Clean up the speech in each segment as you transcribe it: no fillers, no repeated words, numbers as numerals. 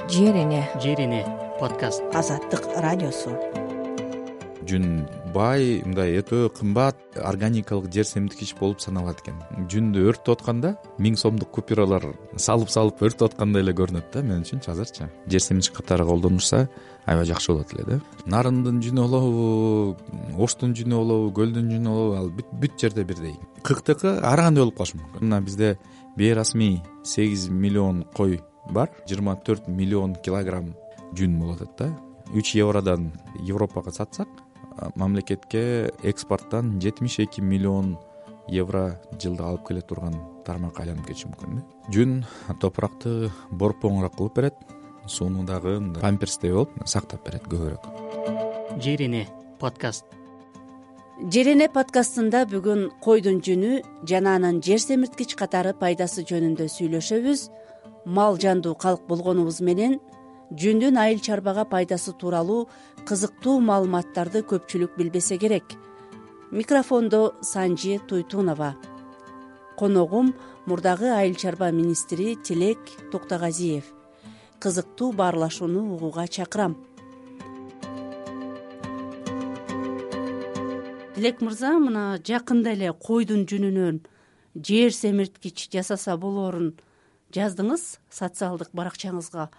Жерине подкаст. Азаттык радиосу. Жүн бай, мындай өтө кымбат органикалык жер семирткич болуп саналат экен. Жүндү өрттөп атканда 1000 сомдук купюралар салып өрттөп аткандай эле көрүнөт да мен үчүнчү азырчы. Жер семирткич катары колдонулса аябай жакшы болот эле да. Нарындын жүнү болобу, Оштун жүнү болобу, Көлдүн жүнү болобу, ал бүт жерде бирдей. Кыктыкы ар кандай болуп калышы мүмкүн. Мына бизде бейрасмий 8 миллион кой бар, 24 миллион килограмм жүн болуп атат да. 3 евродон Европага сатсак, мамлекетке экспорттон 72 миллион евро жылда алып келе турган тармакка айланып кетиши мүмкүн да. Жүн топуракты борпоңураак кылып берет, сууну дагы памперстей болуп сактап берет көбүрөөк. Жерине подкаст. Жерине подкастында бүгүн койдун жүнү жана анын жер семирткич катары пайдасы жөнүндө сүйлөшөбүз. Мал жандуу калк болгонубуз менен жүндүн айыл чарбага пайдасы тууралуу кызыктуу маалыматтарды көпчүлүк билбесе керек. Микрофондо Санжи Туйтунова. Коногум мурдагы айыл чарба министри Тилек Токтогазиев. Кызыктуу баарлашууну угууга чакырам. Тилек мырза, мына жакында эле койдун жүнүнөн жер семирткич жасаса болоорун жаздыңыз социалдык баракчаңызга.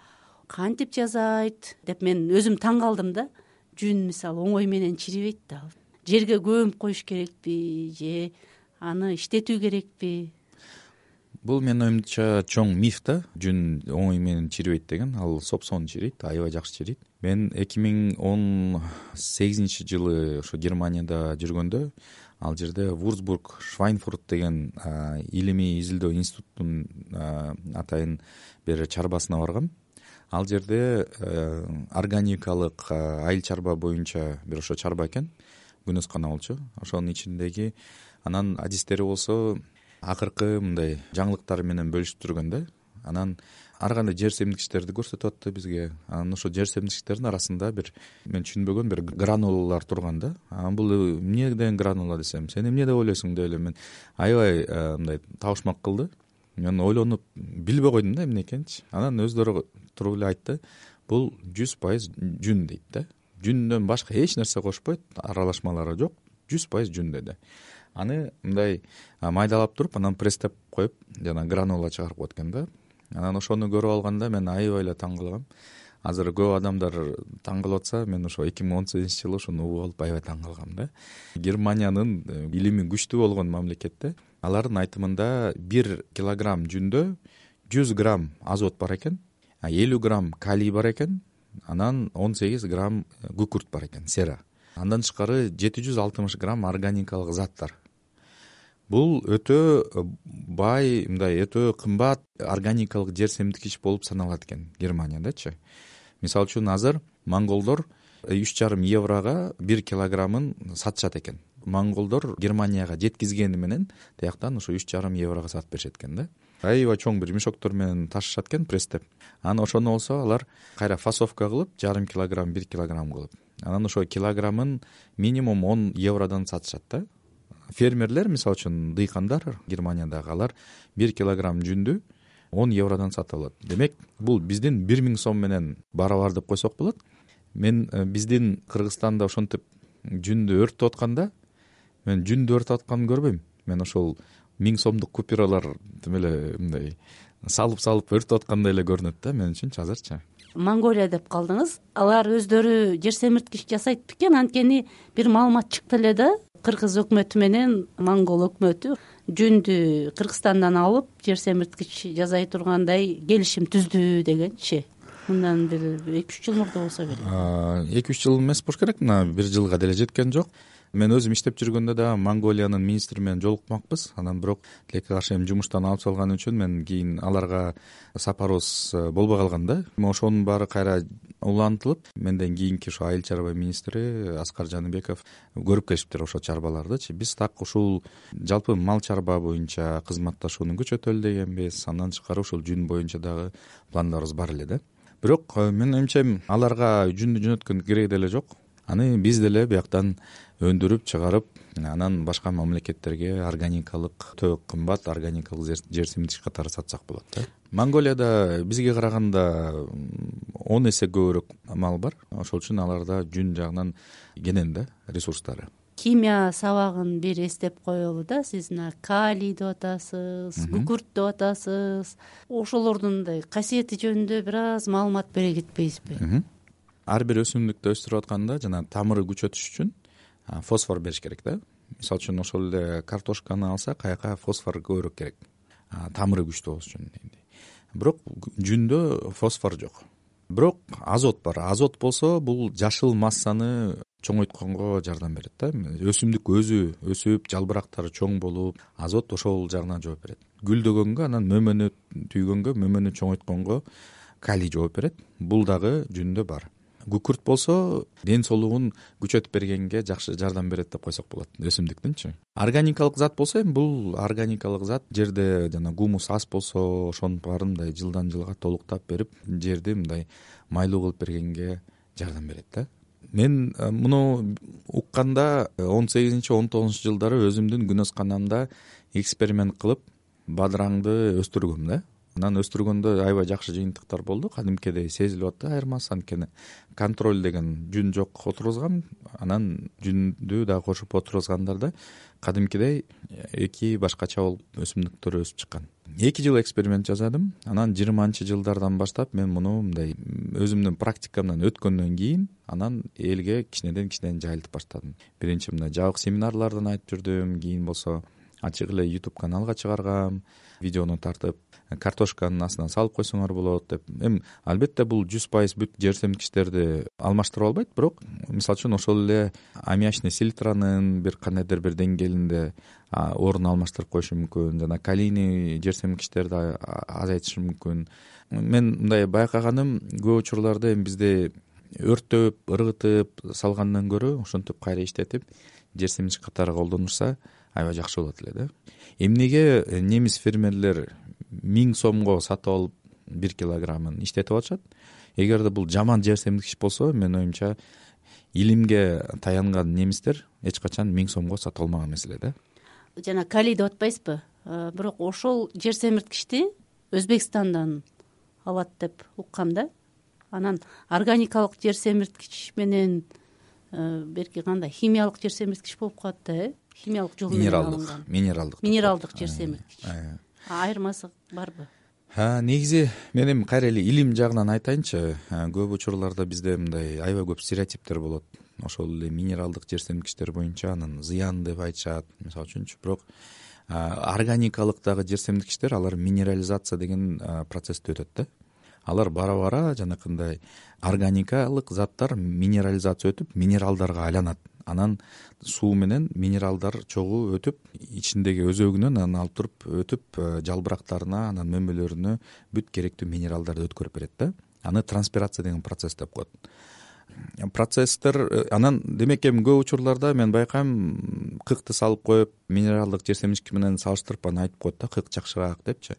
Кантип жасайт деп мен өзүм таң калдым да. Жүн мисалы оңой менен чирибейт да. Жерге көмүп коюш керекпи же аны иштетүү керекпи? Бул менин оюмча чоң миф да. Жүн оңой менен чирибейт деген. Ал сопсоон чирийт, аябай жакшы чирийт. Мен 2018 жылы ошо Германияда жүргөндө ал жерде Вурцбург Швайнфурт деген илимий изилдөө институтунун атайын бир чарбасына баргам. Ал жерде органикалык айыл чарба боюнча бир ошо чарба экен, күнөскана болчу. Ошонун ичиндеги анан адистери болсо акыркы мындай жаңылыктар менен бөлүшүп жүргөн да. Анан ар кандай жер семирткичтерди көрсөтүп атты бизге. Анан ошо жер семирткичтердин арасында бир мен түшүнбөгөн бир гранулалар турган да. Бул эмне деген гранула десем, сен эмне деп ойлойсуң деп эле мен аябай мындай табышмак кылды. Мен ойлонуп билбей койдум да эмне экенчи. Анан өздөрү туруп эле айтты, бул 100% жүн дейт да. Жүндөн башка эч нерсе кошпойт, аралашмалары жок, 100% жүн деди. Аны мындай майдалап туруп, анан пресстеп коюп, жана гранула чыгарып коет экен да. Анан ошону көрүп алганда мен аябай эле таң калгам. Азыр көп адамдар таң калып атса, мен ошо 2018 жылы ошону угуп алып аябай таң калгам да. Германиянын илими күчтүү болгон мамлекетте алардын айтымында 1 килограмм жүндө 100 грамм азот бар экен, 50 грамм калий бар экен, анан 18 грамм күкүрт бар экен, сера. Андан тышкары 760 грамм органикалык заттар. Бул өтө бай, мындай өтө кымбат органикалык жер семирткич болуп саналат экен Германиядачы. Мисалы үчүн азыр монголдор 3,5 еврога 1 килограммын сатышат экен. Монголдор Германияга жеткизгени менен тияктан ошо 3,5 еврога сатып беришет экен да. Аябай чоң бир мешоктор менен ташышат экен пресстеп. Анан ошону болсо алар кайра фасовка кылып, 0,5 килограмм, 1 килограмм кылып. Анан ошо килограммын минимум 10 евродон сатышат да. Фермерлер, мисалы үчүн дыйкандар Германиядагы, алар 1 килограмм жүндү 10 евродон сатып алат. Демек, бул биздин 1000 сом менен барабар деп койсок болот. Мен биздин Кыргызстанда ошентип жүндү өрттөп атканда, мен жүндү өрттөп атканын көрбөйм. Мен ошол 1000 сомдук купюралар тим эле мындай салып өрттөп аткандай эле көрүнөт да мен үчүнчү азырчы. Монголия деп калдыңыз. Алар өздөрү жер семирткич жасайт бекен? Анткени бир маалымат чыкты эле да. Кыргыз өкмөтү менен монгол өкмөтү жүндү Кыргызстандан алып жер семирткич жасай тургандай келишим түздү дегенчи. Мындан бир 2-3 жыл мурда болсо керек. 2-3 жыл эмес болуш керек, мына 1 жылга деле жеткен жок. Мен өзүм иштеп жүргөндө да Монголиянын министри менен жолукмакпыз. Анан бирок тилекке каршы эми жумуштан алып салган үчүн мен кийин аларга сапарыбыз болбой калган да. Ошонун баары кайра улантылып, менден кийинки ошо айыл чарба министри Аскар Жаныбеков көрүп келишиптир ошо чарбалардычы. Биз так ушул жалпы мал чарба боюнча кызматташууну күчөтөлү дегенбиз. Андан тышкары ушул жүн боюнча дагы пландарыбыз бар эле да. Бирок менин оюмча аларга жүндү жөнөткөн кереги деле жок. Аны биз деле бияктан өндүрүп чыгарып, анан башка мамлекеттерге органикалык өтө кымбат органикалык жер семирткич катары сатсак болот да. Монголияда бизге караганда 10 эсе көбүрөөк мал бар. Ошол үчүн аларда жүн жагынан кенен да ресурстары. Химия сабагын бир эстеп коелу да. Сиз калий деп атасыз, күкүрт деп атасыз. Ошолордун мындай касиети жөнүндө бир аз маалымат бере кетпейсизби? Ар бир өсүмдүктү өстүрүп атканда жана тамыры күчөтүш үчүн фосфор бериш керек да. Мисалы үчүн ошол эле картошканы алсак, аяка фосфор көбүрөөк керек. Тамыры күчтүү болуш үчүн. Бирок жүндө фосфор жок. Бирок азот бар. Азот болсо бул жашыл массаны чоңойтконго жардам берет да. Өсүмдүк өзү өсүп, жалбырактары чоң болуп, азот ошол жагынан жооп берет. Гүлдөгөнгө, анан мөмөнү түйгөнгө, мөмөнү чоңойтконго калий жооп берет. Бул дагы жүндө бар. Күкүрт болсо ден соолугун күчөтүп бергенге жакшы жардам берет деп койсок болот, өсүмдүктүнчү. Органикалык зат болсо бул органикалык зат жерде жана гумус аз болсо ошонун баарын мындай жылдан жылга толуктап берип, жерди мындай майлуу кылып бергенге жардам берет да. Мен муну укканда 18-19 жылдары өзүмдүн күнөсканамда эксперимент кылып бадыраңды өстүргөм да. Анан өстүргөндө аябай жакшы жыйынтыктар болду. Кадимкидей сезилип атты айырмасы, анткени контроль деген жүн жок отургузгам. Анан жүндү дагы кошуп отургузгандарда кадимкидей эки башкача болуп өсүмдүктөр өсүп чыккан. 2 жыл эксперимент жасадым. Анан 20-жылдардан баштап мен муну мындай өзүмдүн практикамдан өткөндөн кийин анан элге кичинеден жайылтып баштадым. Биринчи мындай жабык семинарлардан айтып жүрдүм, кийин болсо ачык эле YouTube каналга чыгаргам, видеону тартып, картошканын астына салып койсоңор болот деп. Албетте бул 100% бүт жер семирткичтерди алмаштыра албайт, бирок мисалы үчүн ошол эле аммиачный селитранын бир кандайдыр бир деңгээлинде орун алмаштырып коюшу мүмкүн, жана калийный жер семирткичтерди азайтышы мүмкүн. Мен мындай байкаганым, көп учурларда бизде өрттөп, ыргытып салгандан көрө ошентип кайра иштетип жер семирткич катары колдонушса аябай жакшы болот эле да. Эмнеге немис фермерлер 1000 сомго сатып алып 1 килограммын иштетип атышат? Эгерде бул жаман жер семирткич болсо, мен оюмча илимге таянган немистер эч качан 1000 сомго сатып алмаган маселе да. Жана калий деп атпайсызбы? Бирок ошол жер семирткичти Өзбекстандан алат деп уккам да. Анан органикалык жер семирткич менен берки кандай химиялык жер семирткич болуп калат да, химиялык жол менен алынган. Минералдык жер семирткич. Айырмасы барбы? Негизи мен эми кайра эле илим жагынан айтайынчы. Көп учурларда бизде мындай аябай көп стереотиптер болот. Ошол эле минералдык жер семирткичтер боюнча анын зыян деп айтышат, мисалы үчүнчү. Бирок органикалык дагы жер семирткичтер, алар минерализация деген процессти өтөт да. Алар бара-бара жанакындай органикалык заттар минерализация өтүп, минералдарга айланат. Анан суу менен минералдар чогуу өтүп, ичиндеги өзөгүнөн анан алып туруп өтүп, жалбырактарына, анан мөмөлөрүнө бүт керектүү минералдарды өткөрүп берет да. Аны транспирация деген процесс деп коет. Процесстер анан демек көп учурларда мен байкайм, кыкты салып коюп, минералдык жер семирткич менен салыштырып аны айтып коет да, кык жакшыраак депчи.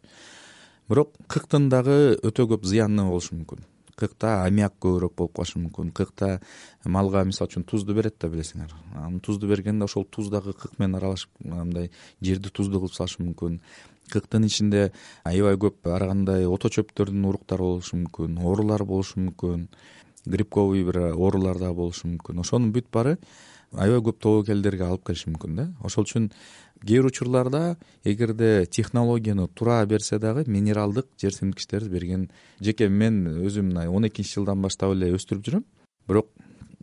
Бирок кыктын дагы өтө көп зыяны болушу мүмкүн. Кыкта аммиак көбүрөөк болуп калышы мүмкүн. Кыкта малга мисалы үчүн тузду берет да, билесиңер. Аны тузду бергенде ошол туз дагы кык менен аралашып, мындай жерди туздуу кылып салышы мүмкүн. Кыктын ичинде аябай көп ар кандай ото чөптөрдүн уруктары болушу мүмкүн, оорулар болушу мүмкүн, грибковый бир оорулар да болушу мүмкүн. Ошонун бүт баары аябай көп тобокелдерге алып келиши мүмкүн да. Ошол үчүн кээ бир учурларда эгерде технологияны туура берсе дагы минералдык жер семирткичтерди берген. Жеке мен өзүм 12-жылдан баштап эле өстүрүп жүрөм. Бирок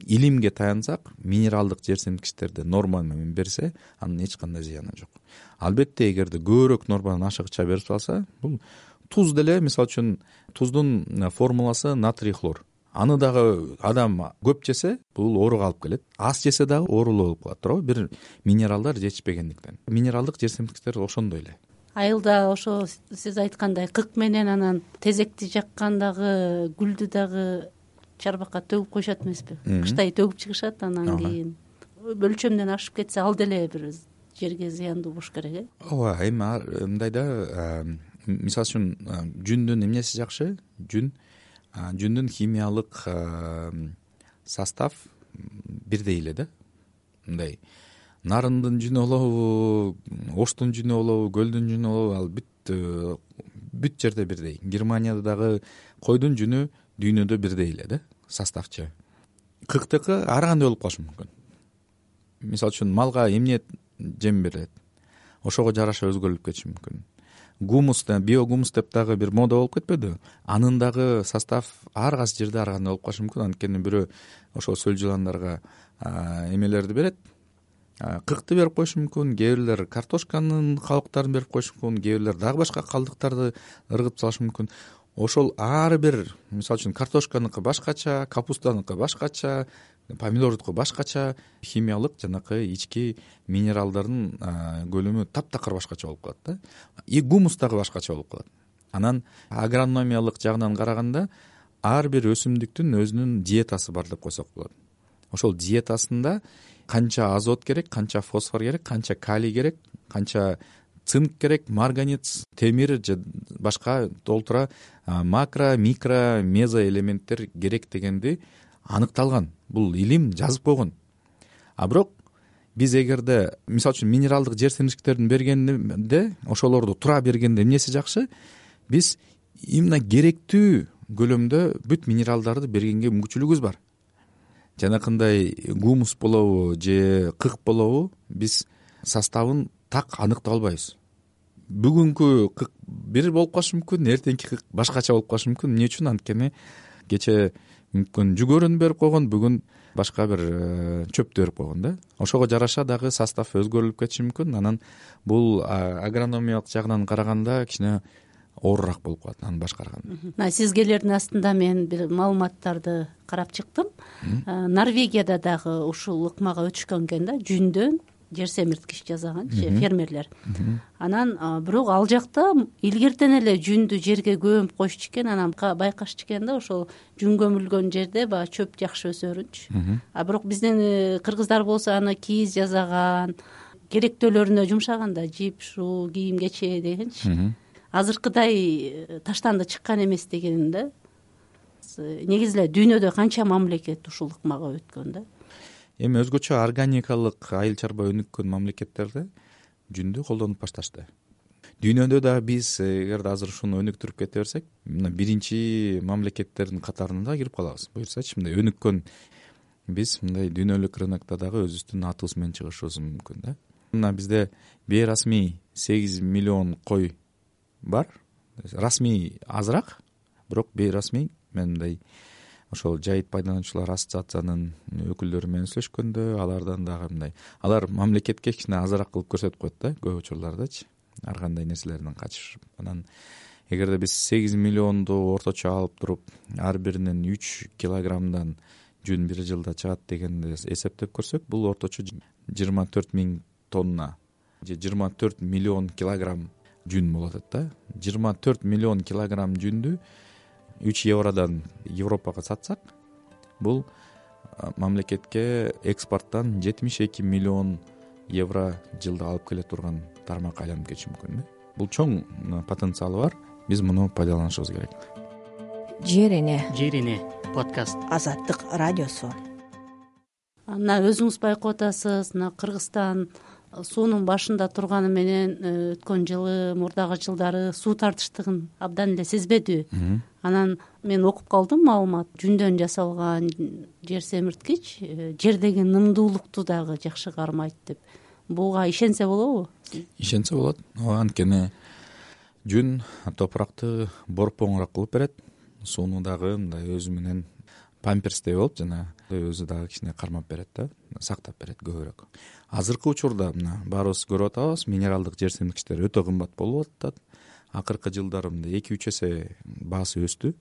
илимге таянсак, минералдык жер семирткичтерди норма менен берсе, анын эч кандай зыяны жок. Албетте эгерде көбүрөөк нормадан ашыгыча берип салса, бул туз деле, мисалы үчүн туздун формуласы натрий хлор. Аны дагы адам көп жесе, бул ооруга алып келет. Аз жесе дагы оорулуу болуп калат, туурабы? Бир минералдар жетишпегендиктен. Минералдык жер семирткичтер ошондой эле. Айылда ошо сиз айткандай кык менен анан тезекти жаккандагы гүлдү дагы чарбакка төгүп коюшат эмеспи? Кыштай төгүп чыгышат, анан кийин өлчөмдөн ашып кетсе ал деле бир жерге зыяндуу болуш керек, Ооба, эми мындай да, мисалы үчүн жүндүн эмнеси жакшы? Жүндүн химиялык состав бирдей эле да. Мындай нарындын жүнү болобу, оштун жүнү болобу, көлдүн жүнү болобу, ал бүт жерде бирдей. Германияда дагы койдун жүнү дүйнөдө бирдей эле да составчы. Кыктыкы ар кандай болуп калышы мүмкүн. Мисалы үчүн малга эмне жем берилет, ошого жараша өзгөрүлүп кетиши мүмкүн. Гумус да, биогумус деп дагы бир мода болуп кетпеди? Анын дагы состав ар кайсы жерде ар кандай болуп калышы мүмкүн. Анткени бирөө ошол сөл жыландарга эмелерди берет, кыкты берип коюшу мүмкүн, кээ бирлер картошканын калдыктарын берип коюшу мүмкүн, кээ бирлер дагы башка калдыктарды ыргытып салышы мүмкүн. Ошол ар бир, мисалы үчүн картошканыкы башкача, капустаныкы башкача, помидордуку башкача, химиялык жанакы ички минералдардын көлөмү таптакыр башкача болуп калат да. И гумус дагы башкача болуп калат. Анан агрономиялык жагынан караганда ар бир өсүмдүктүн өзүнүн диетасы бар деп койсок болот. Ошол диетасында канча азот керек, канча фосфор керек, канча калий керек, канча цинк керек, марганец, темир же башка толтура макро, микро, мезо элементтер керек дегенди аныкталган. Бул илим жазып койгон. А бирок биз эгерде мисалы үчүн минералдык жер семирткичтердин бергенде, ошолорду тура бергенде эмнеси жакшы? Биз именно керектүү көлөмдө бүт минералдарды бергенге мүмкүнчүлүгүбүз бар. Жанакындай гумус болобу же кык болобу, биз составын так аныктап албайбыз. Бүгүнкү кык бир болуп калышы мүмкүн, эртеңки кык башкача болуп калышы мүмкүн. Эмне үчүн? Анткени кече мүмкүн жүгөрүн берип койгон, бүгүн башка бир чөптү берип койгон да. Ошого жараша дагы состав өзгөрүлүп кетиши мүмкүн. Анан бул агрономиялык жагынан караганда кичине оорураак болуп калат аны башкарган. Мына сизгелердин астында мен бир маалыматтарды карап чыктым. Норвегияда дагы ушул ыкмага өтүшкөн экен да, жүндөн жер семирткич жасаган фермерлер. Анан бирок ал жакта илгертен эле жүндү жерге көмүп коюшчу экен, анан байкашчу экен да, ошол жүн көмүлгөн жерде баягы чөп жакшы өсөрүнчү. А бирок биздин кыргыздар болсо аны кийиз жасаган, керектөөлөрүнө жумшаган да, жип, шуу, кийим кече дегенчи. Азыркыдай таштанды чыккан эмес деген да. Негизи эле дүйнөдө канча мамлекет ушул ыкмага өткөн да. Эми өзгөчө органикалык айыл чарба өнүккөн мамлекеттерде жүндү колдонуп башташты. Дүйнөдө да биз эгерде азыр ушуну өнүктүрүп кете берсек, мына биринчи мамлекеттердин катарына кирип калабыз. Буюрсачы, мындай өнүккөн биз мындай дүйнөлүк рынокто дагы өзүбүздүн атыбыз менен чыгышыбыз мүмкүн да. Мына бизде бейрасмий 8 миллион кой бар. Расмий азыраак, бирок бейрасмий мен мындай ошол жайыт пайдалануучулар ассоциациянын өкүлдөрү менен сүйлөшкөндө алардан дагы мындай, алар мамлекетке кичине азыраак кылып көрсөтүп коет да, көп учурлардачы, ар кандай нерселерден качышып. Анан эгерде биз 8 миллионду орточо алып туруп, ар биринен 3 килограммдан жүн бир жылда чыгат дегенди эсептеп көрсөк, бул орточо 24 миң тонна же 24 миллион килограмм жүн болот да. 24 миллион килограмм жүндү 3 евродан Европага сатсак, бул мамлекетке экспорттон 72 миллион евро жылда алып келе турган тармакка айланып кетиши мүмкүн. Бул чоң потенциалы бар. Биз муну пайдаланышыбыз керек. Жер эне подкаст. Азаттык радиосу. Мына өзүңүз байкап атасыз, мына Кыргызстан суунун башында турганы менен өткөн жылы, мурдагы жылдары суу тартыштыгын абдан эле сезбедиби? Анан мен окуп калдым маалымат, жүндөн жасалган жер семирткич жердеги нымдуулукту дагы жакшы кармайт деп. Буга ишенсе болобу? Ишенсе болот. Анткени жүн топуракты борпоңураак кылып берет, сууну дагы мындай өзү менен памперстей болуп жана өзү дагы кичине кармап берет да, сактап берет көбүрөөк. Азыркы учурда мына баарыбыз көрүп атабыз, минералдык жер семирткичтер өтө кымбат болуп атат. Акыркы жылдары мындай 2-3 эсе баасы өстү.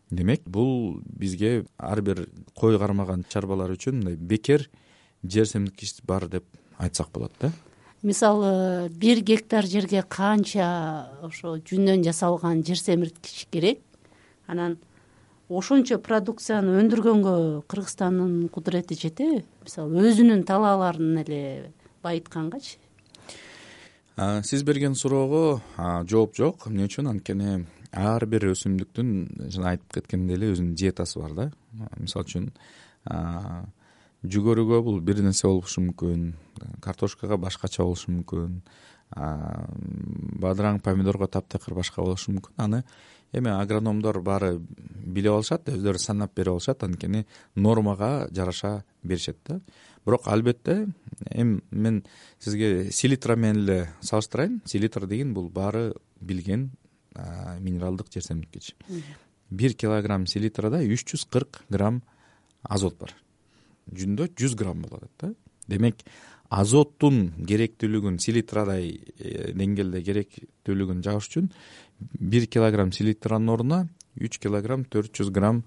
Демек, бул бизге ар бир кой кармаган чарбалар үчүн мындай бекер жер семирткич бар деп айтсак болот да. Мисалы 1 гектар жерге канча ошо жүндөн жасалган жер семирткич керек? Анан ошончо продукцияны өндүргөнгө Кыргызстандын кудурети жетеби? Мисалы өзүнүн талааларын эле байыткангачы. Сиз берген суроого жооп жок. Эмне үчүн? Анткени ар бир өсүмдүктүн жана айтып кеткендей эле өзүнүн диетасы бар да. Мисалы үчүн жүгөрүгө бул бир нерсе болушу мүмкүн, картошкага башкача болушу мүмкүн, бадыраң, помидорго таптакыр башка болушу мүмкүн. Аны эми агрономдор баары билип алышат, өздөрү санап берип алышат, анткени нормага жараша беришет да. Бирок албетте эми мен сизге селитра менен эле салыштырайын. Селитр деген бул баары билген минералдык жер семирткич. 1 килограмм селитрада 340 грамм азот бар. Жүндө 100 грамм болот да. Демек азоттун керектүүлүгүн, селитрадай деңгээлде керектүүлүгүн жагыш үчүн 1 килограмм селитранын ордуна 3 килограмм 400 грамм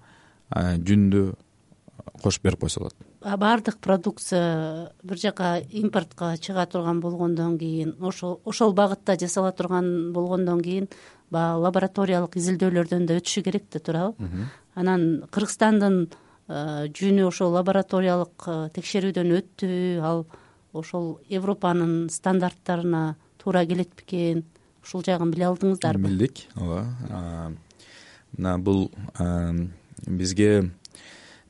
жүндү кошуп берип койсо болот. Баардык продукция бир жака импортко чыга турган болгондон кийин, ошол багытта жасала турган болгондон кийин баягы лабораториялык изилдөөлөрдөн да өтүшү керек да турабы? Анан Кыргызстандын жүнү ошол лабораториялык текшерүүдөн өттү, ал ошол Европанын стандарттарына туура келет бекен? Ушул жагын биле алдыңыздарбы? Билдик, ооба. Мына бул бизге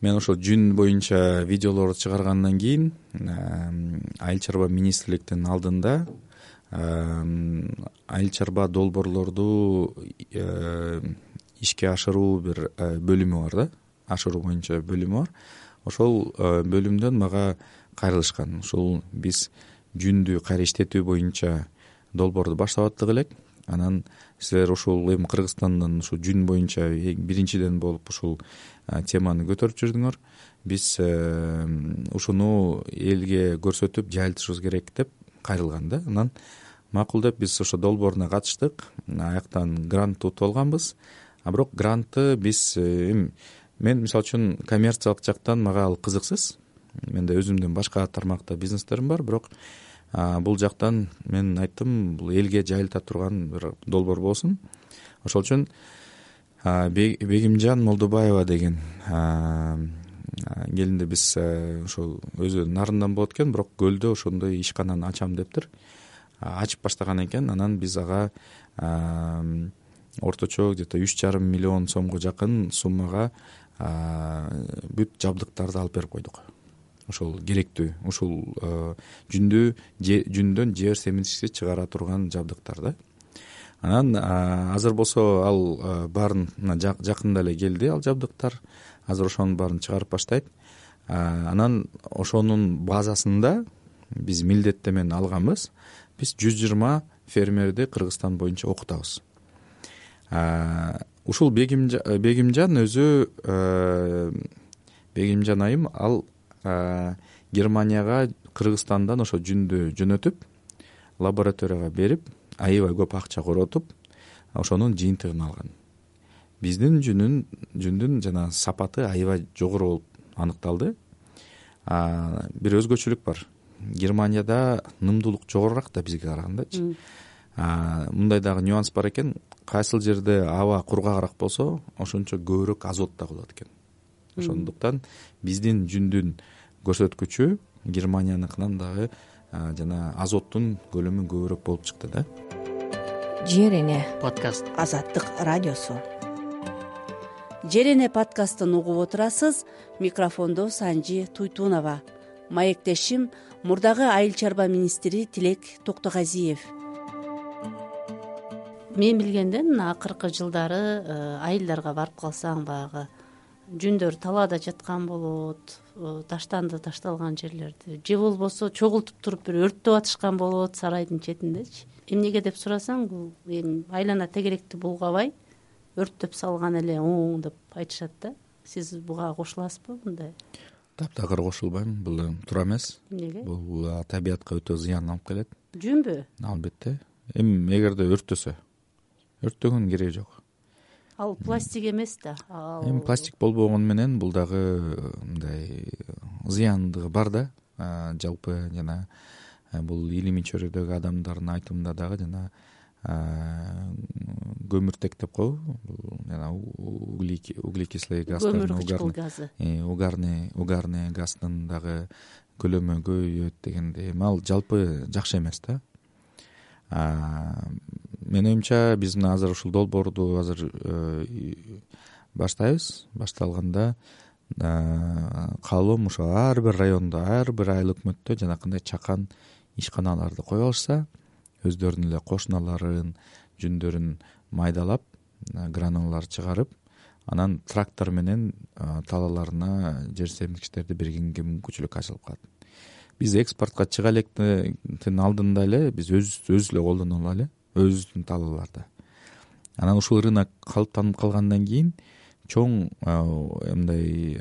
мен ошол жүн боюнча видеолорду чыгаргандан кийин Айыл чарба министрликтин алдында айыл чарба долбоорлорду ишке ашыруу бир бөлүмү бар да, ашыруу боюнча бөлүмү бар. Ошол бөлүмдөн мага кайрылышкан. Ошол биз жүндү кайра иштетүү боюнча долбоорду баштап аттык элек. Анан силер ушул эми Кыргызстандан ушу жүн боюнча биринчиден болуп ушул теманы көтөрүп жүрдүңөр. Биз ушуну элге көрсөтүп жайылтышыбыз керек деп кайрылган да. Анан макул деп биз ошо долбооруна катыштык. Аяктан грант утуп алганбыз. Бирок грантты биз мен мисалы үчүн коммерциялык жактан мага ал кызыксыз. Менде өзүмдүн башка тармакта бизнестерим бар, бирок бул жактан мен айттым, бул элге жайылта турган бир долбоор болсун. Ошол үчүн Бегимжан Молдобаева деген келинди биз ошол өзү нарындан болот экен, бирок көлдө ошондой ишкананы ачам дептир. Ачып баштаган экен. Анан биз ага орточо где-то 3,5 миллион сомго жакын суммага бүт жабдыктарды алып берип койдук. Ошол керектүү, ушул жүндөн жер семирткичти чыгара турган жабдыктар да. Анан азыр болсо ал баарын жакында эле келди, ал жабдыктар. Азыр ошонун баарын чыгарып баштайт. Анан ошонун базасында биз милдеттемен алганбыз. Биз 120 фермерди Кыргызстан боюнча окутабыз. Ушул Бегимжан өзү Бегимжан айым ал Германияга Кыргызстандан ошо жүндү жөнөтүп, лабораторияга берип, аябай көп акча коротуп, ошонун жыйынтыгын алган. Биздин жүндүн жана сапаты аябай жогору болуп аныкталды. Бир өзгөчөлүк бар. Германияда нымдуулук жогорураак да бизге карагандачы. Мындай дагы нюанс бар экен. Кайсыл жерде аба кургагыраак болсо, ошончо көбүрөөк азот да болот экен. Ошондуктан биздин жүндүн көрсөткүчү Германияныкынан дагы жана азоттун көлөмү көбүрөөк болуп чыкты да. Жер эне подкаст. Азаттык радиосу. Жер эне подкастын угуп отурасыз. Микрофондо Санжи Туйтунова. Маектешим мурдагы айыл чарба министри Тилек Токтогазиев. Мен билгенден акыркы жылдары айылдарга барып калсаң баягы жүндөр талаада жаткан болот, ташталган жерлерди, же болбосо чогултуп туруп бир өрттөп атышкан болот сарайдын четиндечи. Эмнеге деп сурасаң, бул эми айлана тегеректи булгабай өрттөп салган эле оң деп айтышат да. Сиз буга кошуласызбы мындай? Таптакыр кошулбайм, бул туура эмес. Эмнеге? Бул табиятка өтө зыян алып келет. Жүнбү? Албетте. Эми эгерде өрттөгөн кереги жок. Ал пластик эмес да. Эми пластик болбогону менен бул дагы мындай зыяндыгы бар да. Жалпы жана бул илимий чөйрөдөгү адамдардын айтымында дагы жана көмүртек деп коебу, жана углекислый газдын, угарный газдын дагы көлөмү көбөйөт дегенде, ал жалпы жакшы эмес да. Менин оюмча биз мына азыр ушул долбоорду азыр баштайбыз. Башталганда каалоом ошо ар бир райондо, ар бир айыл өкмөттө жанакындай чакан ишканаларды коюп алышса, өздөрүнүн эле кошуналарын жүндөрүн майдалап, гранулалар чыгарып, анан трактор менен талааларына жер семирткичтерди бергенге мүмкүнчүлүк ачылып калат. Биз экспортко чыга электин алдында эле биз өзүбүз эле колдоно алалы өзүбүздүн талааларда. Анан ушул рынок калыптанып калгандан кийин чоң мындай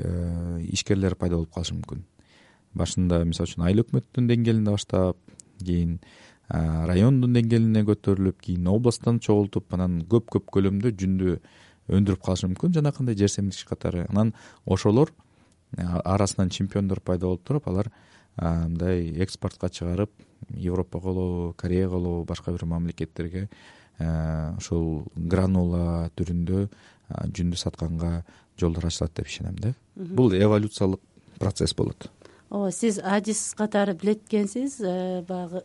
ишкерлер пайда болуп калышы мүмкүн. Башында мисалы үчүн айыл өкмөттүн деңгээлинде баштап, кийин райондун деңгээлине көтөрүлүп, кийин областтан чогултуп, анан көп көлөмдө жүндү өндүрүп калышы мүмкүн жанакындай жер семирткич катары. Анан ошолор арасынан чемпиондор пайда болуп туруп, алар мындай экспортко чыгарып, Европага болобу, Кореяга болобу, башка бир мамлекеттерге ошол гранула түрүндө жүндү сатканга жолдор ачылат деп ишенем да. Бул эволюциялык процесс болот. Ооба, сиз адис катары билет экенсиз. Баягы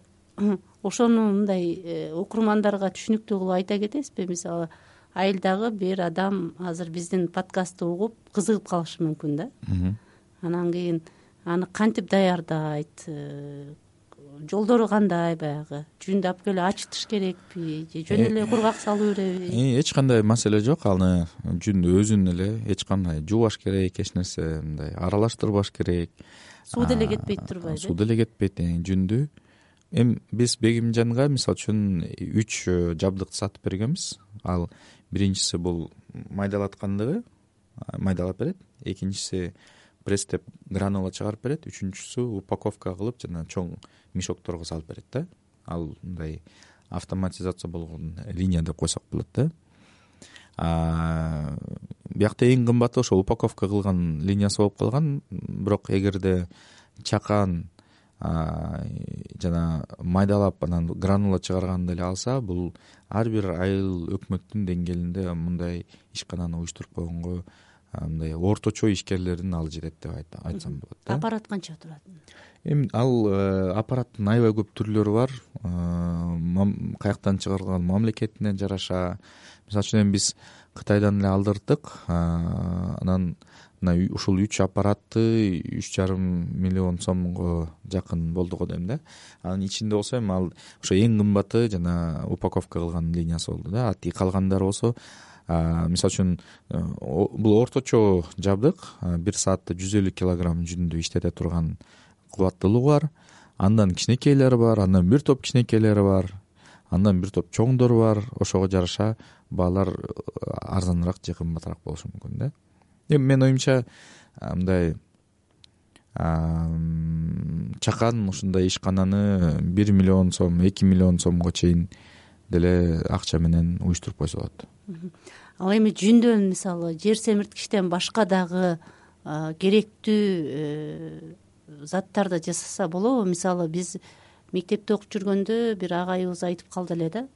ошону мындай окурмандарга түшүнүктүү кылып айта кетесизби? Мисалы, айылдагы бир адам азыр биздин подкастты угуп кызыгып калышы мүмкүн да. Анан кийин аны кантип даярдайт, жолдору кандай, баягы жүндү алып келип ачытыш керекпи же жөн эле кургак салуу керекпи? Эч кандай маселе жок. Аны жүндү өзүн эле эч кандай жуубаш керек, эч нерсе мындай аралаштырбаш керек. Суу деле кетпейт турбайбы? Суу деле кетпейт. Жүндү эми биз Бегимжанга мисалы үчүн 3 жабдыкты сатып бергенбиз. Ал биринчиси бул майдалаткандыгы, майдалап берет. Экинчиси пресстеп гранула чыгарып берет. Үчүнчүсү упаковка кылып жана чоң мешокторго салып берет да. Ал мындай автоматизация болгон линия деп койсок болот да. Биякта эң кымбаты ошо упаковка кылган линиясы болуп калган. Бирок эгерде чакан жана майдалап анан гранула чыгарганды эле алса, бул ар бир айыл өкмөттүн деңгээлинде мындай ишкананы уюштуруп койгонго мындай орточо ишкерлердин алы жетет деп айтсам болот да. Аппарат канча турат? Эми ал аппараттын аябай көп түрлөрү бар. Каяктан чыгарылган мамлекетине жараша. Мисалы үчүн эми биз Кытайдан эле алдырдык. Анан ушул 3 аппаратты 3,5 миллион сомго жакын болду го дейм да. Анын ичинде болсо эми ал ошо эң кымбаты жана упаковка кылган линиясы болду да. Ати калгандары болсо мисалы үчүн бул орточо жабдык 1 саатта 150 килограмм жүндү иштете турган кубаттуулугу бар. Андан кичинекейлери бар, андан бир топ кичинекейлери бар, андан бир топ чоңдору бар. Ошого жараша баалар арзаныраак же кымбатыраак болушу мүмкүн да. Эми менин оюмча мындай чакан ушундай ишкананы 1 миллион сом, 2 миллион сомго чейин деле акча менен уюштуруп койсо болот. Ал эми жүндөн мисалы жер семирткичтен башка дагы керектүү заттарды жасаса болобу? Мисалы биз мектепте окуп жүргөндө бир агайыбыз айтып калды эле да.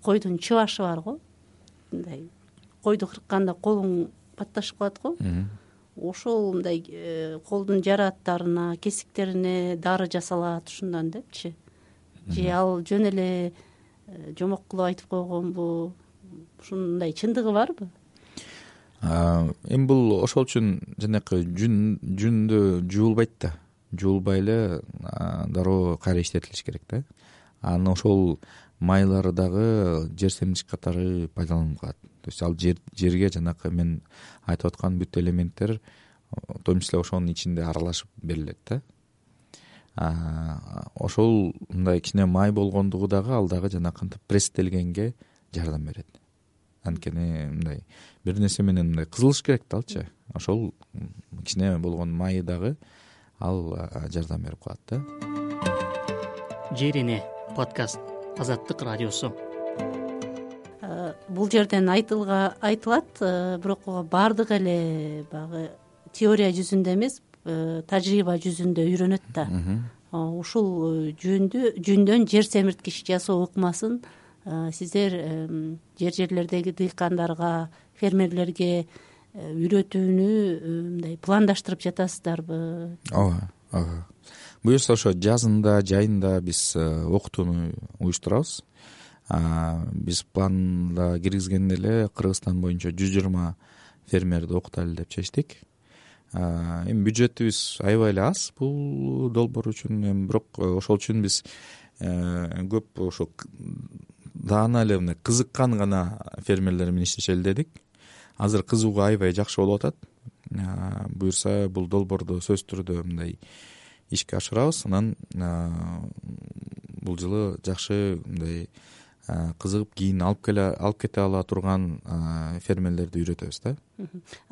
Койдун чыбашы бар го. Мындай койду кыркканда колуң патташып калат го. Ошол мындай колдун жарааттарына, кесиктерине дары жасалат ушундан депчи. Же ал жөн эле жомок кылып айтып койгонбу? Ушундай чындыгы барбы? Эми бул ошол үчүн жанакы жүндү жуулбайт да. Жуулбай эле дароо кайра иштетилиш керек да. Анан ошол майлары дагы жер семирткич катары пайдаланылып калат. То есть ал жерге жанакы мен айтып аткан бүт элементтер в том числе ошонун ичинде аралашып берилет да. Ошол мындай кичине май болгондугу дагы ал дагы жанакынтип пресстелгенге жардам берет. Анткени мындай бир нерсе менен мындай кызылыш керек да алчы. Ошол кичине болгон майы дагы ал жардам берип калат да. Жерине подкаст Азаттык радиосу. Бул жерден айтылат, бирок баардык эле баягы теория жүзүндө эмес, тажрыйба жүзүндө үйрөнөт да. Ушул жүндөн жер семирткич жасоо ыкмасын сиздер жерлердеги дыйкандарга, фермерлерге үйрөтүүнү мындай пландаштырып жатасыздарбы? Ооба. Буюрса ошо жазында, жайында биз окутууну уюштурабыз. Биз планда киргизгенде эле Кыргызстан боюнча 120 фермерди окутайлы деп чечтик. Эми бюджетибиз аябай эле аз бул долбоор үчүн, бирок ошол үчүн биз көп ошо даана эле мындай кызыккан гана фермерлер менен иштешели дедик. азыр кызыгуу аябай жакшы болуп атат. Буюрса бул долбоорду сөзсүз түрдө мындай ишке ашырабыз. Анан бул жылы жакшы мындай кызыгып кийин алып кете ала турган фермерлерди үйрөтөбүз да.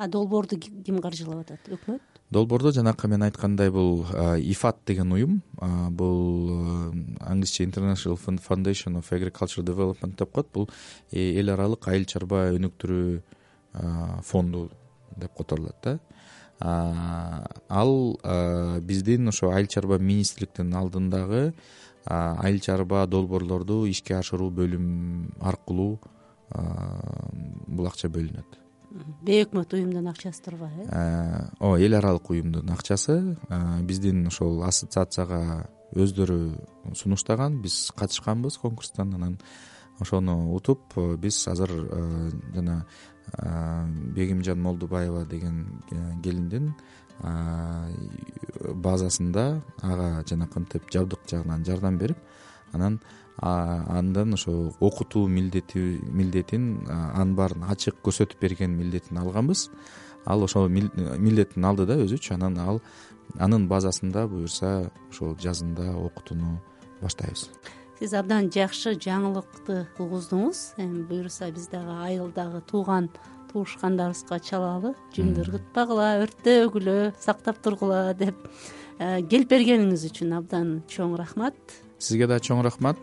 Долбоорду ким каржылап атат? Өкмөт? Долбоорду жанакы мен айткандай бул IFAD деген уюм, бул англисче International Foundation of Agricultural Development деп коет. Бул эл аралык айыл чарба өнүктүрүү фонду деп которулат да. Ал биздин ошо айыл чарба министрликтин алдындагы айыл чарба долбоорлорду ишке ашыруу бөлүм аркылуу бул акча бөлүнөт. Бейөкмөт уюмдун акчасы турбайбы? Эл аралык уюмдун акчасы. Биздин ошол ассоциацияга өздөрү сунуштаган, биз катышканбыз конкурстан. Анан ошону утуп биз азыр жана Бегимжан Молдубаева деген келиндин базасында ага жанакынтип жабдык жагынан жардам берип, анан андан ошо окутуу милдетин анын баарын ачык көрсөтүп берген милдетин алганбыз. Ал ошол милдетин алды да өзүчү. Анан ал анын базасында буюрса ошол жазында окутууну баштайбыз. Сиз абдан жакшы жаңылыкты угуздуңуз. Эми буюрса биз дагы айылдагы туушкандарыбызга чалалы, жүндүр кытпагыла, өрттөгүлө, сактап тургула деп келип бергениңиз үчүн абдан чоң рахмат. Сизге да чоң рахмат.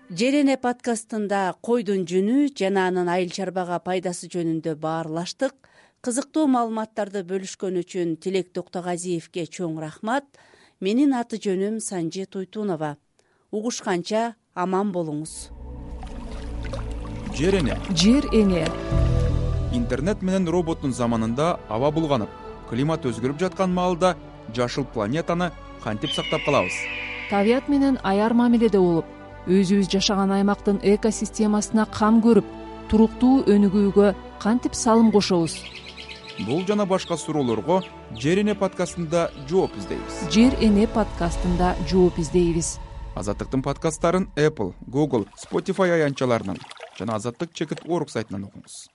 Жер эне подкастында койдун жүнү жана анын айыл чарбага пайдасы жөнүндө баарлаштык. Кызыктуу маалыматтарды бөлүшкөн үчүн Тилек Токтогазиевге чоң рахмат. Менин аты жөнүм Санжи Туйтунова. Угушканча аман болуңуз. Жер эне. Жер эне. Интернет менен роботтун заманында аба булганып, климат өзгөрүп жаткан маалда жашыл планетаны кантип сактап калабыз? Табият менен аяр мамиледе болуп, өзүбүз жашаган аймактын экосистемасына кам көрүп, туруктуу өнүгүүгө кантип салым кошобуз? Бул жана башка суроолорго Жер эне подкастында жооп издейбиз. Жер эне подкастында жооп издейбиз. Азаттыктын подкасттарын Apple, Google, Spotify аянтчаларынан жана Азаттык чекит.org сайтынан окуңуз.